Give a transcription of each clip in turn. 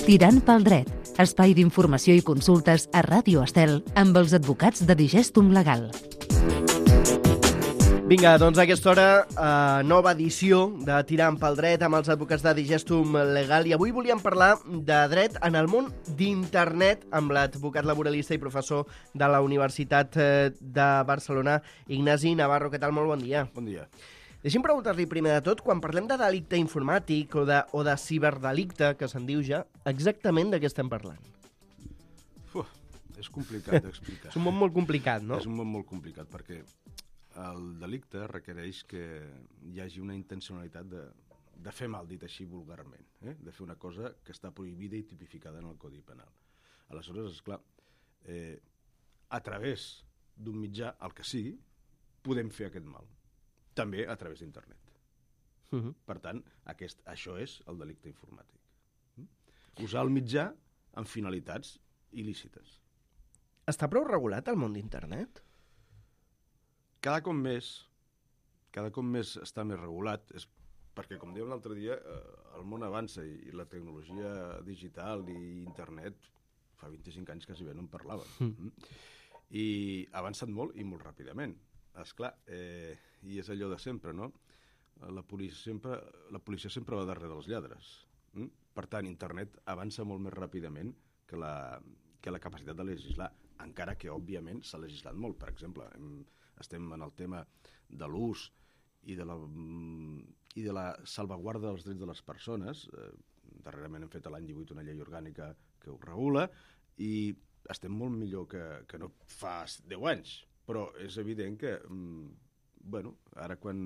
Tirant pel dret, espai d'informació i consultes a Ràdio Estel amb els advocats de Digestum Legal. Vinga, doncs a aquesta hora, nova edició de Tirant pel dret amb els advocats de Digestum Legal, i avui volíem parlar de dret en el món d'internet amb l'advocat laboralista i professor de la Universitat de Barcelona, Ignasi Navarro. Què tal? Molt bon dia. Bon dia. Deixi'm preguntar-li primer de tot, quan parlem de delicte informàtic o de ciberdelicte, que se'n diu ja, exactament de què estem parlant? És complicat d'explicar. És un món molt complicat, no? És un món molt complicat, perquè el delicte requereix que hi hagi una intencionalitat de fer mal, dit així vulgarment, de fer una cosa que està prohibida i tipificada en el Codi Penal. Aleshores, esclar, a través d'un mitjà, el que sigui, podem fer aquest mal. També a través d'internet. Per tant, això és el delicte informàtic. Usar el mitjà amb finalitats il·lícites. Està prou regulat el món d'internet? Cada cop més està més regulat, és perquè, com dèiem l'altre dia, el món avança i la tecnologia digital i internet fa 25 anys quasi bé no en parlàvem. I ha avançat molt i molt ràpidament. Esclar, i és allò de sempre, no? La policia sempre va darrere dels lladres. Per tant, internet avança molt més ràpidament que la capacitat de legislar, encara que, òbviament, s'ha legislat molt. Per exemple, estem en el tema de l'ús i de la salvaguarda dels drets de les persones. Darrerament hem fet l'any 18 una llei orgànica que ho regula i estem molt millor que no fa 10 anys. Però és evident que, ara quan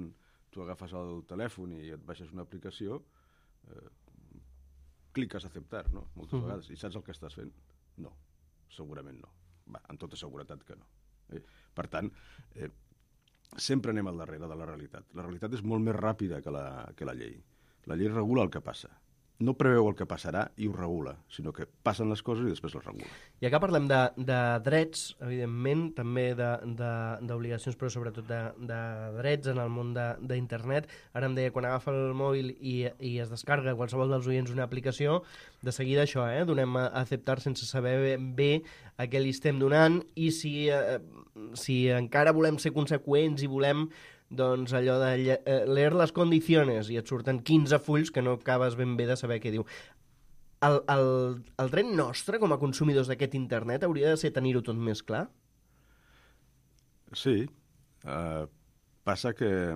tu agafes el telèfon i et baixes una aplicació, cliques a acceptar, no? Moltes vegades. I saps el que estàs fent? No, segurament no. Amb tota seguretat que no. Per tant, sempre anem al darrere de la realitat. La realitat és molt més ràpida que la llei. La llei regula el que passa. No preveu el que passarà i ho regula, sinó que passen les coses i després les regula. I acá parlem de drets, evidentment, també d'obligacions, però sobretot de drets en el món d'internet. Ara em deia, quan agafa el mòbil i es descarga qualsevol dels oients una aplicació, de seguida això, donem a acceptar sense saber bé a què li estem donant, i si encara volem ser conseqüents i volem doncs allò de leer les condiciones i et surten 15 fulls que no acabes ben bé de saber què diu. El dret nostre com a consumidors d'aquest internet hauria de ser tenir-ho tot més clar? Sí. Passa que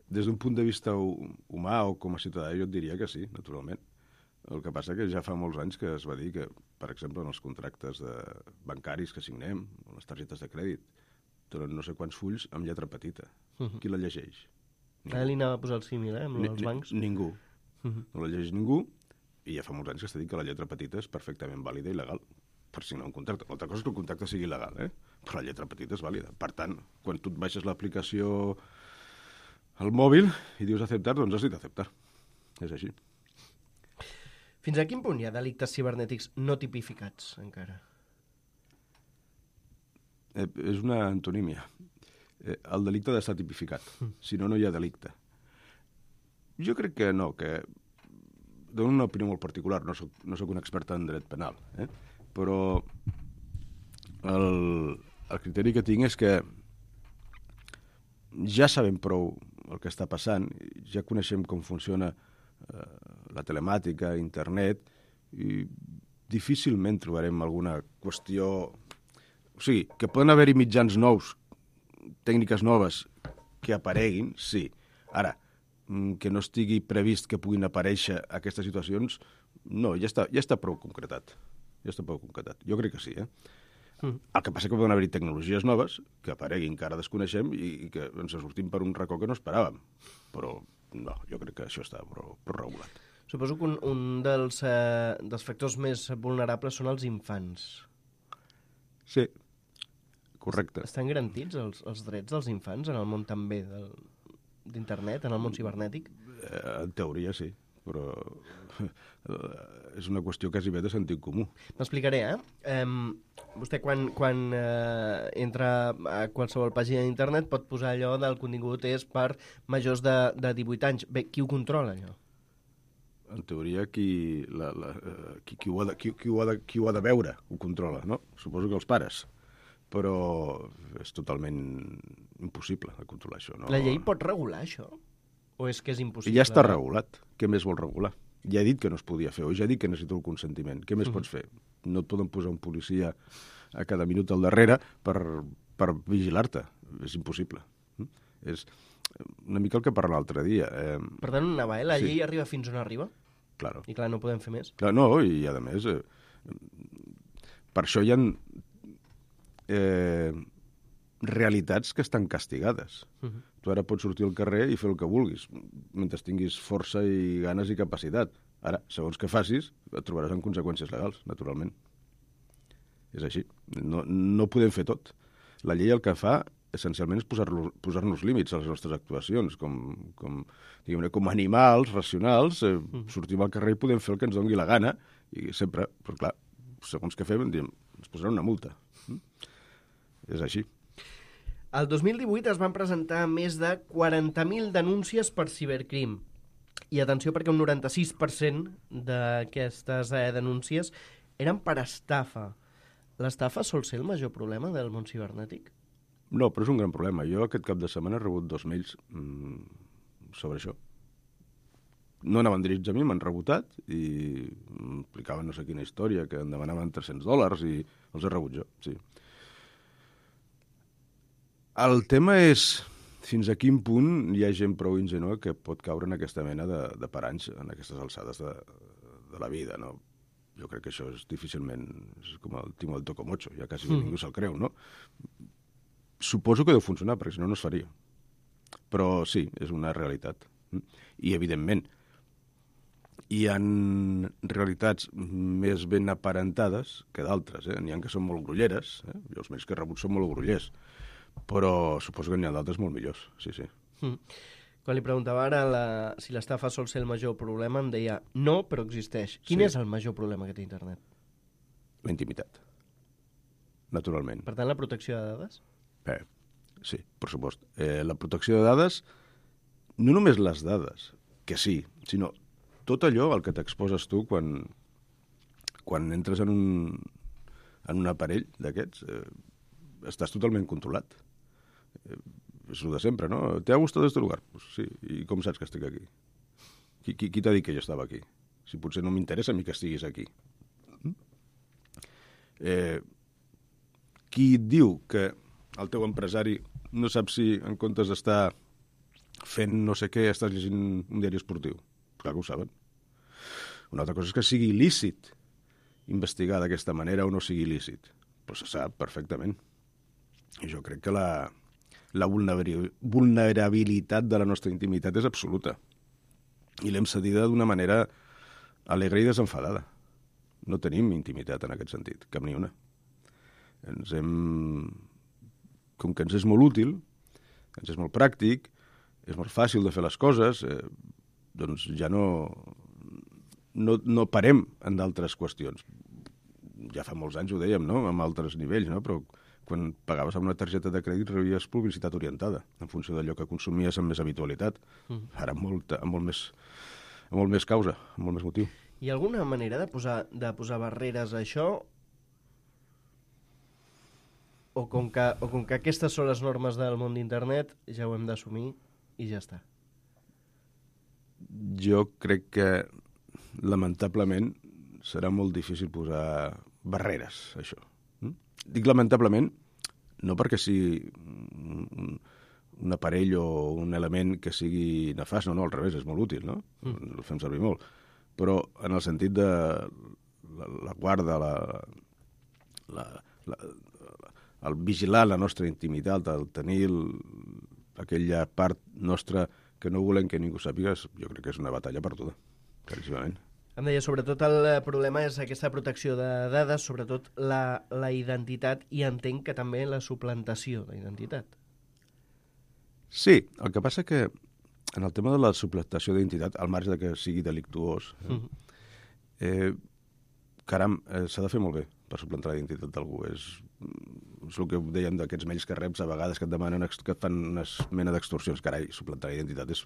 des d'un punt de vista humà o com a ciutadà jo et diria que sí, naturalment. El que passa que ja fa molts anys que es va dir que, per exemple, en els contractes bancaris que signem, o les targetes de crèdit, tenen no sé quants fulls amb lletra petita. Qui la llegeix? Ara li anava a posar el símil, amb els bancs. Ningú. No la llegeix ningú, i ja fa molts anys que està dit que la lletra petita és perfectament vàlida i legal per signar un contracte. L'altra cosa és que el contracte sigui legal, però la lletra petita és vàlida. Per tant, quan tu et baixes l'aplicació al mòbil i dius acceptar, doncs has dit acceptar. És així. Fins a quin punt hi ha delictes cibernètics no tipificats, encara? És una antonímia. El delicte ha d'estar tipificat. Si no, no hi ha delicte. Jo crec que no, que dono una opinió molt particular, no soc un expert en dret penal, però el criteri que tinc és que ja sabem prou el que està passant, ja coneixem com funciona la telemàtica, internet, i difícilment trobarem alguna qüestió. O sigui, que poden haver-hi mitjans nous, tècniques noves que apareguin, sí. Ara, que no estigui previst que puguin aparèixer aquestes situacions, no, ja està prou concretat. Jo crec que sí, El que passa que poden haver-hi tecnologies noves que apareguin, que ara desconeixem i que ens sortim per un racó que no esperàvem. Però no, jo crec que això està prou regulat. Suposo que un dels factors més vulnerables són els infants. Sí, correcte. Estan garantits els drets dels infants en el món també d'internet, en el món cibernètic? En teoria sí, però és una qüestió quasi bé de sentit comú. M'explicaré, vostè quan entra a qualsevol pàgina d'internet pot posar allò del contingut és per majors de 18 anys. Bé, qui ho controla, allò? En teoria, qui ho ha de veure ho controla, no? Suposo que els pares. Però és totalment impossible de controlar això. No? La llei pot regular això? O és que és impossible? Ja està regulat. Què més vol regular? Ja he dit que no es podia fer, o ja he dit que necessito el consentiment. Què més pots fer? No et poden posar un policia a cada minut al darrere per vigilar-te. És impossible. És una mica el que parlàvem l'altre dia. Per tant, la llei arriba fins on arriba? Claro. I clar, no podem fer més? Clar, no, i a més, per això hi ha realitats que estan castigades. Tu ara pots sortir al carrer i fer el que vulguis, mentre tinguis força i ganes i capacitat. Ara, segons que facis, et trobaràs amb conseqüències legals, naturalment. És així. No podem fer tot. La llei el que fa, essencialment, és posar-nos límits a les nostres actuacions. Com animals racionals, sortim al carrer i podem fer el que ens doni la gana, i sempre, però clar, segons que fem, ens posaran una multa. És així. El 2018 es van presentar més de 40.000 denúncies per cibercrim. I atenció, perquè un 96% d'aquestes denúncies eren per estafa. L'estafa sol ser el major problema del món cibernètic? No, però és un gran problema. Jo aquest cap de setmana he rebut 2 mails sobre això. No anaven dirigits a mi, m'han rebotat i explicaven no sé quina història, que em demanaven $300 i els he rebut jo, sí. El tema és fins a quin punt hi ha gent prou ingènua que pot caure en aquesta mena de paranys en aquestes alçades de la vida, no? Jo crec que això és difícilment... És com el timo del tocomocho, ja quasi ningú se'l creu, no? Suposo que deu funcionar, perquè si no, no es faria. Però sí, és una realitat. I, evidentment, hi ha realitats més ben aparentades que d'altres. N'hi ha que són molt grolleres. Jo els mails que he rebut són molt grollers. Però suposo que n'hi ha d'altres molt millors, sí. Quan li preguntava ara si l'estafa sol ser el major problema, em deia no, però existeix. Quin és el major problema que té internet? La intimitat, naturalment. Per tant, la protecció de dades? Sí, per supost. La protecció de dades, no només les dades, que sí, sinó tot allò al que t'exposes tu quan entres en un aparell d'aquests, estàs totalment controlat. És el de sempre, no? ¿Te ha gustado este lugar? Pues sí. I com saps que estic aquí? Qui t'ha dit que jo estava aquí? Si potser no m'interessa a mi que estiguis aquí. Qui et diu que el teu empresari no sap si en comptes d'estar fent no sé què estàs llegint un diari esportiu? Clar que ho saben. Una altra cosa és que sigui il·lícit investigar d'aquesta manera o no sigui il·lícit. Però se sap perfectament. I jo crec que la vulnerabilitat de la nostra intimitat és absoluta. I l'hem cedida d'una manera alegre i desenfadada. No tenim intimitat en aquest sentit, cap ni una. Com que ens és molt útil, ens és molt pràctic, és molt fàcil de fer les coses, doncs ja no parem en d'altres qüestions. Ja fa molts anys ho dèiem, no?, amb altres nivells, no?, però quan pagaves amb una targeta de crèdit rebies publicitat orientada en funció d'allò que consumies amb més habitualitat. Ara amb molt més causa, amb molt més motiu. Hi ha alguna manera de posar barreres a això? O com que aquestes són les normes del món d'internet, ja ho hem d'assumir i ja està? Jo crec que, lamentablement, serà molt difícil posar barreres a això. Dic lamentablement, no perquè sigui un aparell o un element que sigui nefast, no, al revés, és molt útil, no? El fem servir molt. Però en el sentit de la guarda, el vigilar la nostra intimitat, el tenir aquella part nostra que no volem que ningú sàpiga, jo crec que és una batalla perduda, claríssimament. Em deia, sobretot el problema és aquesta protecció de dades, sobretot la identitat, i entenc que també la suplantació d'identitat. Sí, el que passa que en el tema de la suplantació d'identitat, al marge de que sigui delictuós, caram, s'ha de fer molt bé per suplantar la identitat d'algú. És el que dèiem d'aquests mails que reps a vegades que et demanen, que et fan una mena d'extorsions. Carai, suplantar la identitat és...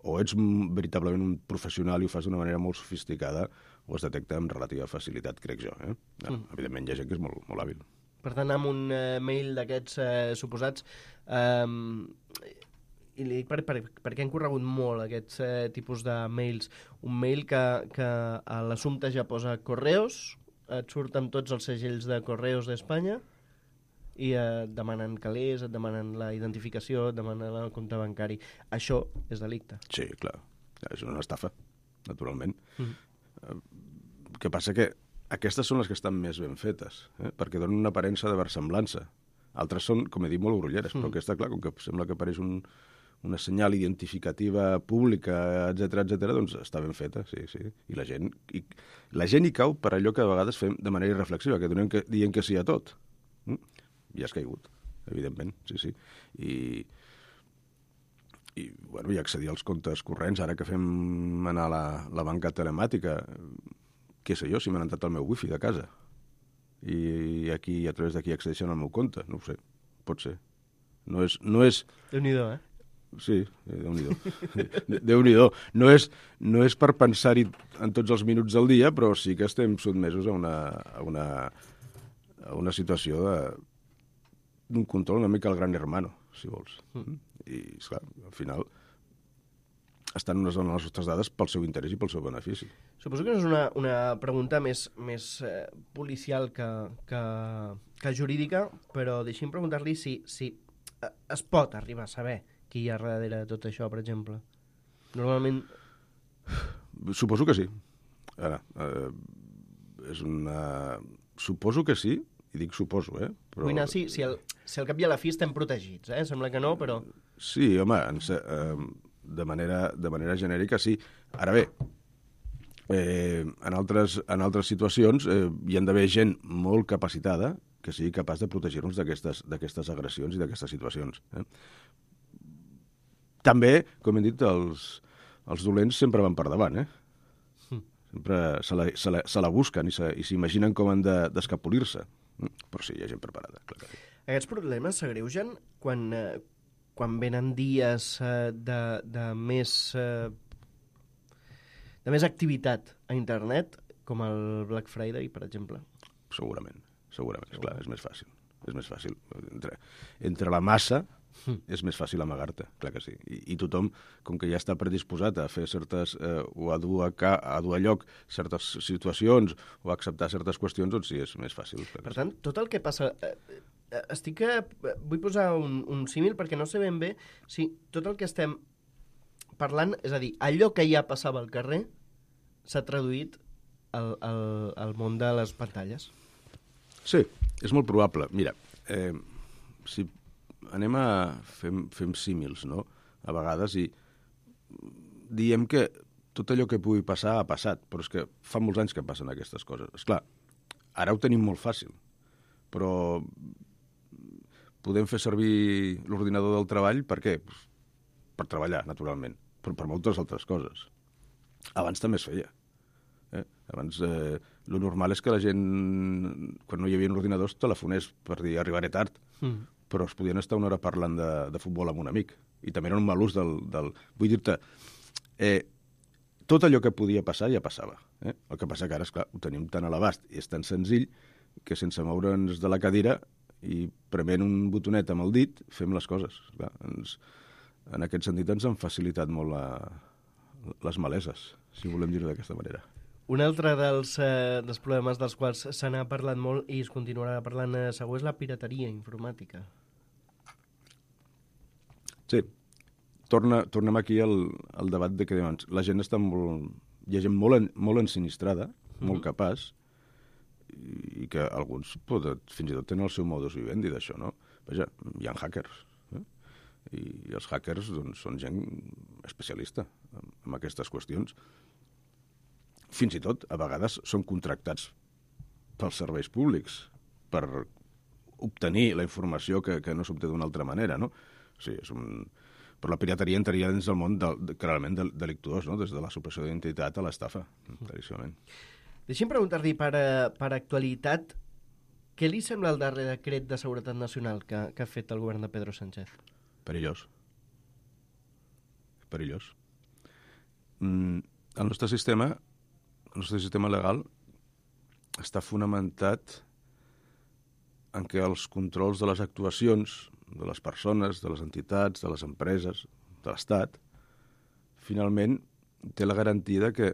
O ets veritablement un professional i ho fas d'una manera molt sofisticada o es detecta amb relativa facilitat, crec jo. Evidentment hi ha gent que és molt, molt hàbil. Per tant, amb un mail d'aquests suposats... I li dic perquè han corregut molt aquests tipus de mails. Un mail que a l'assumpte ja posa Correos, et surten tots els segells de Correos d'Espanya i et demanen calés, et demanen la identificació, et demanen el compte bancari. Això és delicte. Sí, clar. És una estafa, naturalment. El que passa que aquestes són les que estan més ben fetes, perquè donen una aparença de versemblança. Altres són, com he dit, molt grolleres, però aquesta, clar, com que sembla que apareix una senyal identificativa pública, etc, doncs està ben feta, sí. I la gent hi cau per allò que a vegades fem de manera irreflexiva, que diem que sí a tot. I has caigut, evidentment, sí. I bueno, i accedir als comptes corrents, ara que fem anar a la banca telemàtica, què sé jo, si m'han entrat el meu wifi de casa i aquí, a través d'aquí accedeixen al meu compte, no ho sé, pot ser. No és... Déu-n'hi-do, Sí, Déu-n'hi-do. Déu-n'hi-do. No és per pensar-hi en tots els minuts del dia, però sí que estem sotmesos a una situació d'un control una mica al gran hermano, si vols. I, esclar, al final estan unes dones les nostres dades pel seu interès i pel seu benefici. Suposo que no és una pregunta més policial que jurídica, però deixi'm preguntar-li si es pot arribar a saber qui hi ha darrere de tot això, per exemple. Normalment... Suposo que sí. Ara, suposo que sí, i dic suposo, Però... Vull anar, si al cap i a la fi estem protegits, Sembla que no, però... Sí, home, de manera genèrica sí. Ara bé, en altres situacions hi ha d'haver gent molt capacitada que sigui capaç de protegir-nos d'aquestes agressions i d'aquestes situacions. També, com hem dit, els dolents sempre van per davant, Sempre se la busquen i s'imaginen com han d'escapolir-se. Però sí, hi ha gent preparada, clar que sí. Aquests problemes s'agreugen quan venen dies de més activitat a internet, com el Black Friday, per exemple. Segurament, esclar, és més fàcil. Entre la massa és més fàcil amagar-te, clar que sí. I tothom, com que ja està predisposat a fer certes, o a dur a lloc certes situacions o a acceptar certes qüestions, doncs sí, és més fàcil. Per tant, tot el que passa... Vull posar un símil perquè no sé ben bé si tot el que estem parlant, és a dir, allò que ja passava al carrer s'ha traduït al món de les pantalles. Sí, és molt probable. Mira, si anem a... Fem símils, no?, a vegades, i diem que tot allò que pugui passar ha passat, però és que fa molts anys que passen aquestes coses. Esclar, ara ho tenim molt fàcil, però podem fer servir l'ordinador del treball per què? Per treballar, naturalment, però per moltes altres coses. Abans també es feia. Abans, lo normal és que la gent, quan no hi havia ordinadors, telefonés per dir arribaré tard, però es podien estar una hora parlant de futbol amb un amic, i també era un mal ús del... Vull dir-te, tot allò que podia passar ja passava. El que passa que ara, esclar, ho tenim tan a l'abast i és tan senzill que sense moure'ns de la cadira i prement un botonet amb el dit fem les coses. Clar, en aquest sentit ens han facilitat molt les maleses, si volem dir-ho d'aquesta manera. Un altre dels problemes dels quals se n'ha parlat molt i es continuarà parlant segur és la pirateria informàtica. Sí. Tornem aquí al debat de que la gent està molt... Hi ha gent molt ensinistrada, molt capaç, i que alguns fins i tot tenen el seu modus vivendi d'això, no? Vaja, hi ha hackers, i els hackers doncs, són gent especialista en aquestes qüestions. Fins i tot, a vegades, són contractats pels serveis públics per obtenir la informació que no s'obté d'una altra manera, no? O sigui, Però la pirateria entraria dins del món clarament delictuós, no? Des de la supressió d'identitat a l'estafa, claríssimament. Deixi'm preguntar-li per actualitat, què li sembla el darrer decret de seguretat nacional que ha fet el govern de Pedro Sánchez? Perillós. Perillós. El nostre sistema legal està fonamentat en què els controls de les actuacions de les persones, de les entitats, de les empreses, de l'Estat, finalment té la garantia que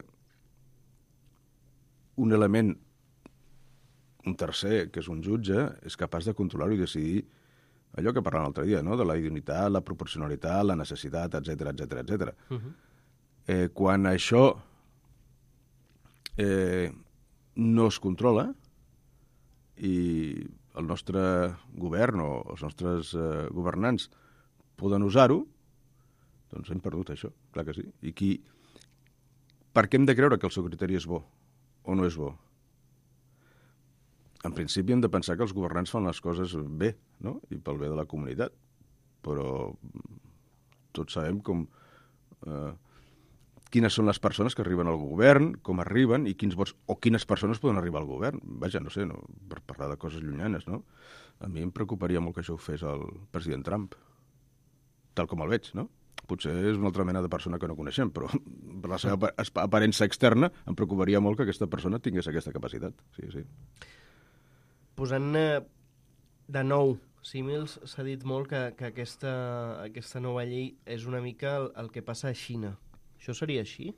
un element, un tercer, que és un jutge, és capaç de controlar-ho i decidir allò que parlàvem l'altre dia, no? De la idoneïtat, la proporcionalitat, la necessitat, etc etc. Quan això no es controla i el nostre govern o els nostres governants poden usar-ho, doncs hem perdut això, clar que sí. I per què hem de creure que el seu criteri és bo o no és bo? En principi hem de pensar que els governants fan les coses bé, no? I pel bé de la comunitat. Però tots sabem quines són les persones que arriben al govern, com arriben i quins vots o quines persones poden arribar al govern. Vaja, no sé, per parlar de coses llunyanes, no? A mi em preocuparia molt que això ho fes el president Trump, tal com el veig, no? Potser és una altra mena de persona que no coneixem, però per la seva aparença externa em preocuparia molt que aquesta persona tingués aquesta capacitat. Sí, sí. Posant de nou símils, s'ha dit molt que aquesta nova llei és una mica el que passa a Xina. Això seria així?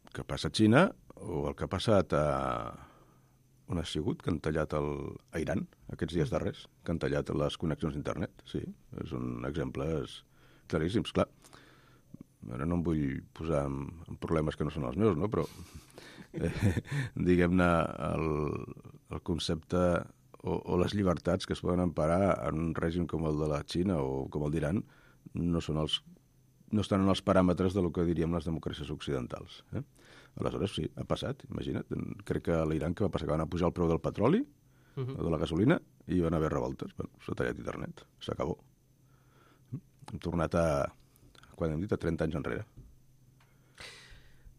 El que passa a Xina o el que ha passat on ha sigut, que han tallat a Iran aquests dies darrers, que han tallat les connexions d'internet. Sí, són exemples claríssims, clar. Ara no em vull posar en problemes que no són els meus, no? Però diguem-ne el concepte o les llibertats que es poden emparar en un règim com el de la Xina o com el d'Iran no estan en els paràmetres del que diríem les democràcies occidentals. Aleshores, sí, ha passat, imagina't. Crec que a l'Iran que va passar que van pujar el preu del petroli, de la gasolina, i van haver revoltes. Bueno, s'ha tallat internet, s'acabó. Hem tornat quan hem dit, a 30 anys enrere.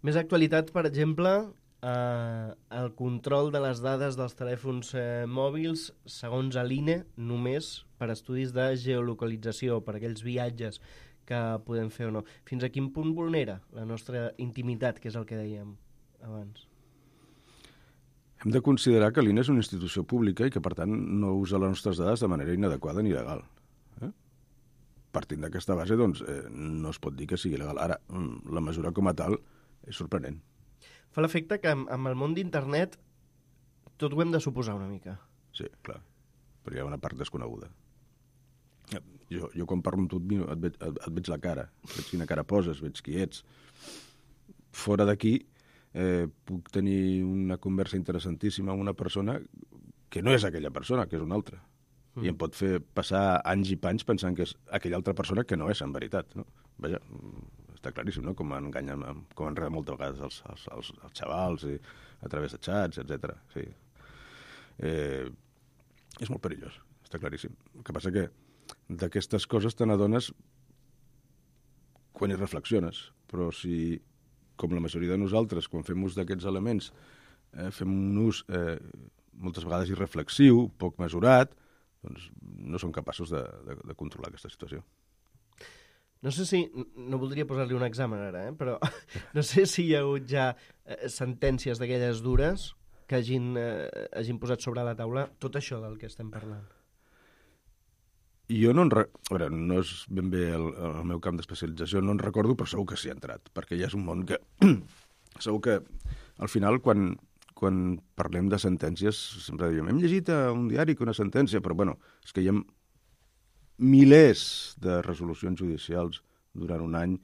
Més actualitat, per exemple, el control de les dades dels telèfons mòbils, segons l'INE, només per estudis de geolocalització, per aquells viatges que podem fer o no. Fins a quin punt vulnera la nostra intimitat, que és el que dèiem abans? Hem de considerar que l'INE és una institució pública i que, per tant, no usa les nostres dades de manera inadequada ni il·legal. Partint d'aquesta base, doncs, no es pot dir que sigui il·legal. Ara, la mesura com a tal és sorprenent. Fa l'efecte que amb el món d'internet tot ho hem de suposar una mica. Sí, clar, perquè hi ha una part desconeguda. Jo quan parlo amb tu et veig la cara, veig quina cara poses, veig qui ets. Fora d'aquí puc tenir una conversa interessantíssima amb una persona que no és aquella persona, que és una altra. I em pot fer passar anys i panys pensant que és aquella altra persona que no és, en veritat. No? Vaja, està claríssim, no? Com enganyen, com enreden moltes vegades els xavals a través de xats, etc. Sí. És molt perillós, està claríssim. El que passa que d'aquestes coses te n'adones quan hi reflexiones, però si, com la majoria de nosaltres, quan fem ús d'aquests elements, fem un ús moltes vegades irreflexiu, poc mesurat, doncs no som capaços de controlar aquesta situació. No sé si, no voldria posar-li un examen ara, però no sé si hi ha hagut ja sentències d'aquelles dures que hagin posat sobre la taula tot això del que estem parlant. Jo no no és ben bé el meu camp d'especialització, no en recordo, però segur que s'hi ha entrat, perquè ja és un món que segur que al final quan parlem de sentències sempre diem, hem llegit a un diari que una sentència, però bueno, és que hi ha milers de resolucions judicials durant un any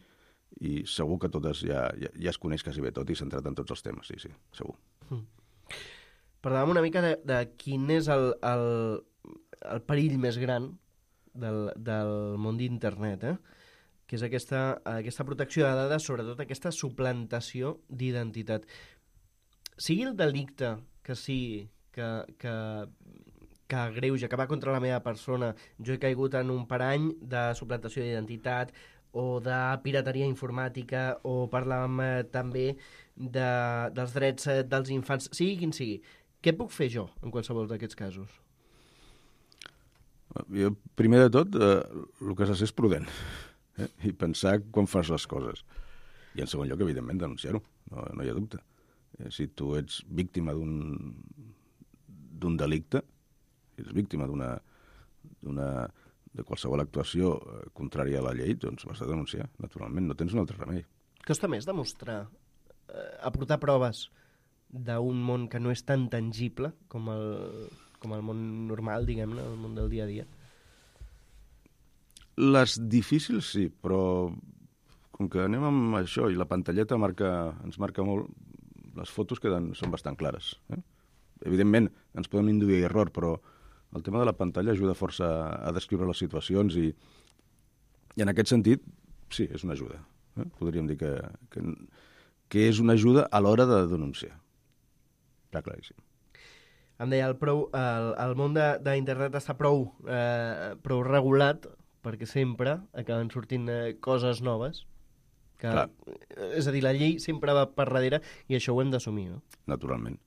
i segur que totes ja es coneix quasi bé tot i s'ha entrat en tots els temes, sí, segur. Parlàvem una mica de quin és el perill més gran del món d'internet, que és aquesta protecció de dades, sobretot aquesta suplantació d'identitat. Sigui el delicte que sigui, que que greuja, que va contra la meva persona. Jo he caigut en un parany de suplantació d'identitat o de pirateria informàtica, o parlàvem també dels drets dels infants, sigui quin sigui. Què puc fer jo en qualsevol d'aquests casos? Jo, primer de tot, el que s'ha de ser és prudent i pensar quan fas les coses. I en segon lloc, evidentment, denunciar-ho, no hi ha dubte. Si tu ets víctima d'un delicte, si ets víctima de qualsevol actuació contrària a la llei, doncs vas a denunciar, naturalment, no tens un altre remei. Costa més demostrar, aportar proves d'un món que no és tan tangible com el món normal, diguem-ne, el món del dia a dia? Les difícils sí, però com que anem amb això i la pantalleta ens marca molt, les fotos són bastant clares. Evidentment, ens podem induir a error, però el tema de la pantalla ajuda força a descriure les situacions i en aquest sentit, sí, és una ajuda. Podríem dir que és una ajuda a l'hora de denunciar. Està claríssim. Em deia, el món d'internet està prou regulat perquè sempre acaben sortint coses noves. És a dir, la llei sempre va per darrere i això ho hem d'assumir, no? Naturalment.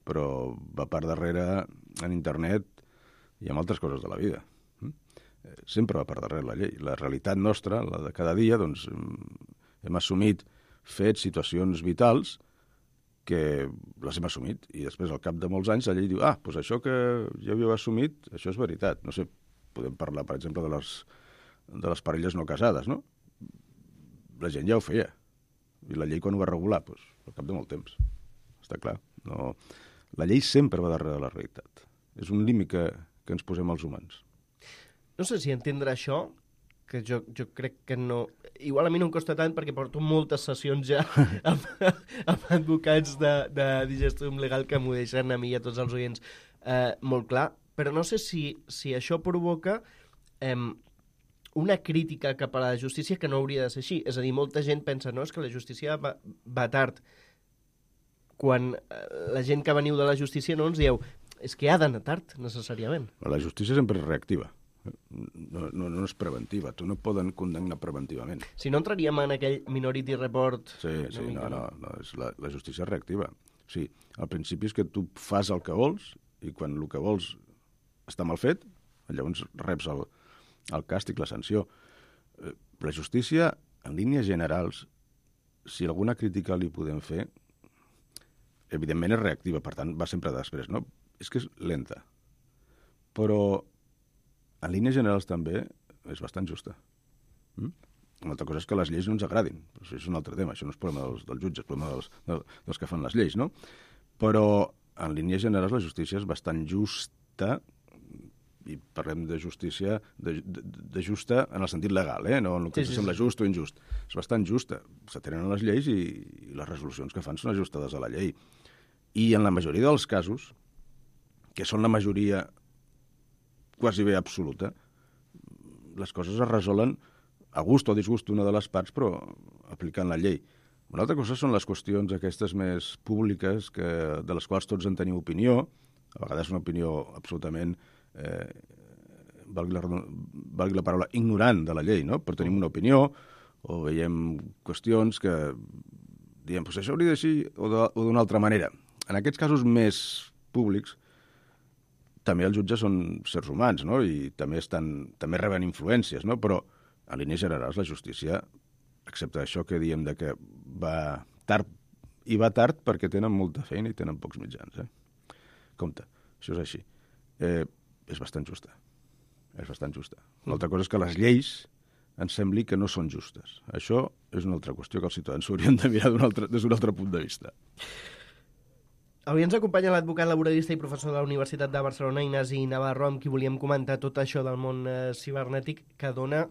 Però va per darrere en internet i amb altres coses de la vida. Sempre va per darrere la llei. La realitat nostra, la de cada dia, doncs hem assumit fets, situacions vitals que les hem assumit i després al cap de molts anys la llei diu doncs això que ja havíeu assumit, això és veritat. No sé, podem parlar, per exemple, de les parelles no casades, no? La gent ja ho feia. I la llei quan ho va regular? Doncs al cap de molt temps. Està clar. No. La llei sempre va darrere de la realitat. És un límit que ens posem els humans. No sé si entendre això, que jo crec que no... Igual a mi no em costa tant perquè porto moltes sessions ja amb advocats de Digestum Legal que m'ho deixen a mi i a tots els oients molt clar, però no sé si això provoca una crítica cap a la justícia que no hauria de ser així. És a dir, molta gent pensa, no, és que la justícia va tard. Quan la gent que veniu de la justícia no ens dieu és que ha d'anar tard, necessàriament. La justícia sempre és reactiva. No és preventiva. Tu no et poden condemnar preventivament. Si no entraríem en aquell Minority Report... Sí, no, la justícia és reactiva. Sí, al principi és que tu fas el que vols i quan el que vols està mal fet, llavors reps el càstig, la sanció. La justícia, en línies generals, si alguna crítica li podem fer, evidentment és reactiva, per tant, va sempre després, no? És que és lenta. Però en línies generals també és bastant justa. Una altra cosa és que les lleis no ens agradin. Això és un altre tema, això no és problema dels jutges, és problema dels que fan les lleis, no? Però en línies generals la justícia és bastant justa, i parlem de justícia de justa en el sentit legal, no en el que ens sembla just o injust. És bastant justa. S'atenen les lleis i les resolucions que fan són ajustades a la llei. I en la majoria dels casos, que són la majoria quasi bé absoluta, les coses es resolen a gust o a disgust d'una de les parts, però aplicant la llei. Una altra cosa són les qüestions aquestes més públiques, de les quals tots en tenim opinió, a vegades una opinió absolutament, valgui la paraula, ignorant de la llei, no? Però tenim una opinió, o veiem qüestions que diem, doncs això hauria de ser o d'una altra manera. En aquests casos més públics, també els jutges són sers humans, no? I també reben influències, no? Però, en línies generals, la justícia, excepte això que diem de que va tard, i va tard perquè tenen molta feina i tenen pocs mitjans. Compte, això és així. És bastant justa. És bastant justa. Una altra cosa és que les lleis ens sembli que no són justes. Això és una altra qüestió que els ciutadans s'haurien de mirar des d'un altre punt de vista. Avui ens acompanya l'advocat laboralista i professor de la Universitat de Barcelona, Ignasi Navarro, amb qui volíem comentar tot això del món cibernètic, que dona,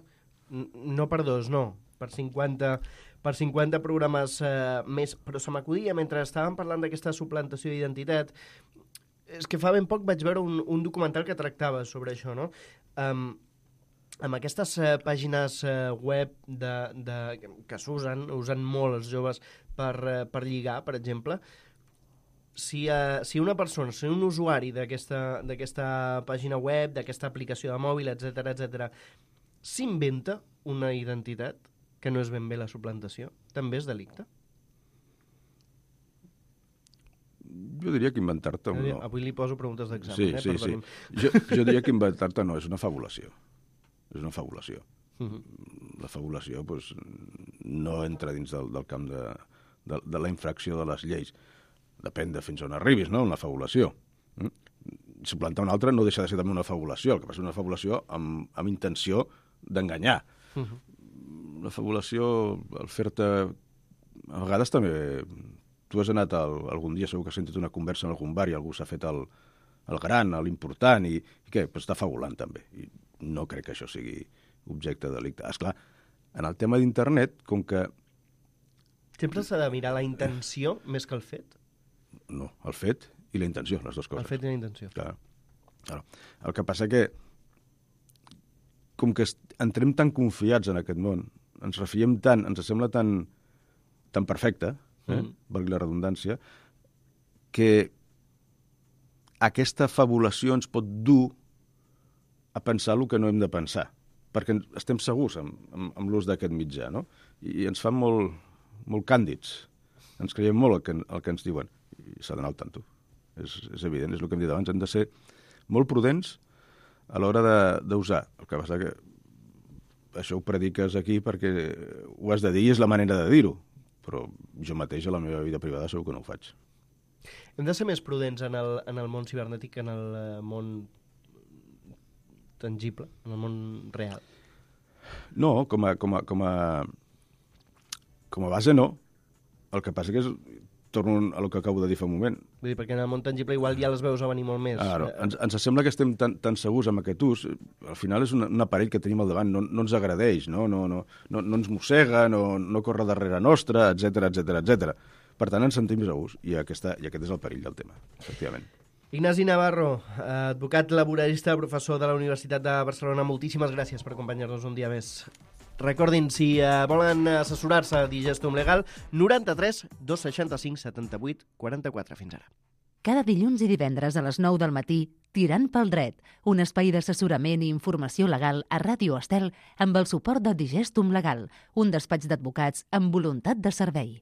no per dos, no, per 50 programes més. Però se m'acudia, mentre estàvem parlant d'aquesta suplantació d'identitat, és que fa ben poc vaig veure un documental que tractava sobre això, no? Amb aquestes pàgines web que usen molt els joves per lligar, per exemple, si una persona, si un usuari d'aquesta pàgina web, d'aquesta aplicació de mòbil, etc, s'inventa una identitat que no és ben bé la suplantació, també és delicte? Jo diria que inventar-te no. Avui li poso preguntes d'examen, Sí. Jo diria que inventar-te no, és una fabulació. És una fabulació. La fabulació no entra dins del camp de la infracció de les lleis. Depèn de fins on arribis, no?, una fabulació. Suplantar una altra no deixa de ser també una fabulació, el que passa és una fabulació amb intenció d'enganyar. La fabulació, el fer-te... A vegades també... Tu has anat algun dia, segur que has sentit una conversa en algun bar i algú s'ha fet el gran, l'important, i què? Però està fabulant també. I no crec que això sigui objecte de delicte. Esclar, en el tema d'internet, com que... Sempre s'ha de mirar la intenció més que el fet? No, el fet i la intenció, les dues coses. El fet i la intenció. Clar. El que passa que, com que entrem tan confiats en aquest món, ens refiem tant, ens sembla tan perfecte, valgui la redundància, que aquesta fabulació ens pot dur a pensar el que no hem de pensar, perquè estem segurs amb l'ús d'aquest mitjà, no? I ens fan molt càndids. Ens creiem molt el que ens diuen. I s'ha d'anar al tanto. És evident, és el que hem dit abans. Hem de ser molt prudents a l'hora d'usar. El que passa que això ho prediques aquí perquè ho has de dir i és la manera de dir-ho. Però jo mateix a la meva vida privada segur que no ho faig. Hem de ser més prudents en el món cibernètic que en el món tangible, en el món real? No, com a base no. El que passa que torno a el que acabo de dir fa un moment. Vull dir, perquè en el món tangible igual ja les veus a venir molt més. Ens sembla que estem tan segurs amb aquest ús. Al final és un aparell que tenim al davant, no ens agradeix, no ens mossega, no corre darrere nostra, etc. Per tant, ens sentim segurs, i aquest és el perill del tema, efectivament. Ignasi Navarro, advocat laboralista, professor de la Universitat de Barcelona, moltíssimes gràcies per acompanyar-nos un dia més. Recordin, si volen assessorar-se a Digestum Legal, 93 265 78 44. Fins ara. Cada dilluns i divendres a les 9 del matí, Tirant pel dret, un espai d'assessorament i informació legal a Ràdio Estel amb el suport de Digestum Legal, un despatx d'advocats amb voluntat de servei.